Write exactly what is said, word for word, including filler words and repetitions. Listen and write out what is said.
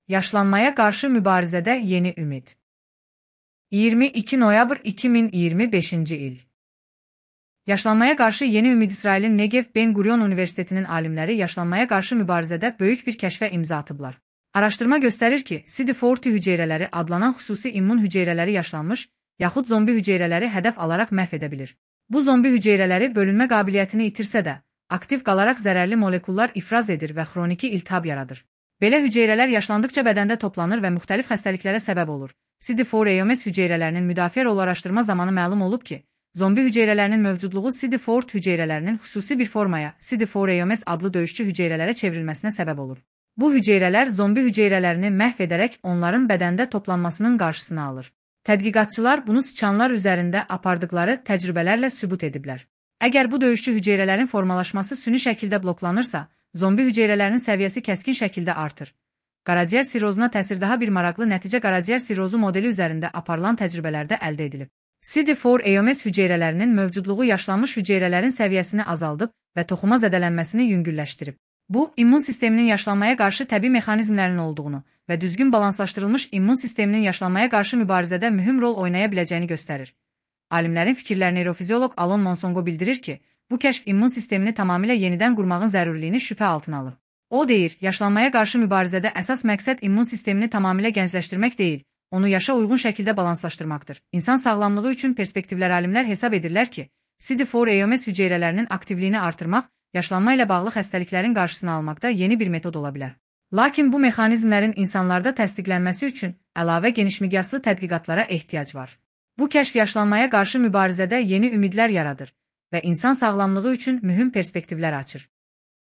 Yaşlanmaya qarşı mübarizədə yeni ümid. iyirmi iki noyabr iki min iyirmi beşinci il. Yaşlanmaya qarşı yeni ümid. İsrailin Negev Ben Gurion Universitetinin alimləri yaşlanmaya qarşı mübarizədə böyük bir kəşfə imza atıblar. Araşdırma göstərir ki, C D forty hüceyrələri adlanan xüsusi immun hüceyrələri yaşlanmış, yaxud zombi hüceyrələri hədəf alaraq məhv edə bilir. Bu zombi hüceyrələri bölünmə qabiliyyətini itirsə də, aktiv qalaraq zərərli molekullar ifraz edir və xroniki iltihab yaradır. Belə hüceyrələr yaşlandıqca bədəndə toplanır və müxtəlif xəstəliklərə səbəb olur. C D four A M S hüceyrələrinin müdafiə rolu araşdırma zamanı məlum olub ki, zombi hüceyrələrinin mövcudluğu C D four hüceyrələrinin xüsusi bir formaya, C D four A M S adlı döyüşçü hüceyrələrə çevrilməsinə səbəb olur. Bu hüceyrələr zombi hüceyrələrini məhv edərək onların bədəndə toplanmasının qarşısını alır. Tədqiqatçılar bunu sıçanlar üzərində apardıqları təcrübələrlə sübut ediblər. Əgər bu döyüşçü hüceyrələrin formalaşması süni şəkildə bloklanırsa, zombi hüceyrələrinin səviyyəsi kəskin şəkildə artır. Qaraciyər sirrozuna təsir. Daha bir maraqlı nəticə qaraciyər sirrozu modeli üzərində aparılan təcrübələrdə əldə edilib. C D four A M S hüceyrələrinin mövcudluğu yaşlanmış hüceyrələrin səviyyəsini azaldıb və toxuma zədələnməsini yüngülləşdirib. Bu, immun sisteminin yaşlanmaya qarşı təbii mexanizmlərinin olduğunu və düzgün balanslaşdırılmış immun sisteminin yaşlanmaya qarşı mübarizədə mühüm rol oynaya biləcəyini göstərir. Alimlərin fikirlərini neyrofizioloq Alon Monsongo bildirir ki, bu kəşf immun sistemini tamamilə yenidən qurmağın zərurliyini şübhə altına alır. O deyir, yaşlanmaya qarşı mübarizədə əsas məqsəd immun sistemini tamamilə gəncləşdirmək deyil, onu yaşa uyğun şəkildə balanslaşdırmaqdır. İnsan sağlamlığı üçün perspektivlər alimlər hesab edirlər ki, C D four A M S hüceyrələrinin aktivliyini artırmaq, yaşlanma ilə bağlı xəstəliklərin qarşısını almaqda yeni bir metod ola bilər. Lakin bu mexanizmlərin insanlarda təsdiqlənməsi üçün əlavə genişmiqyaslı tədqiqatlara ehtiyac var. Bu kəşf yaşlanmaya qarşı mübarizədə yeni ümidlər yaradır və insan sağlamlığı üçün mühüm perspektivlər açır.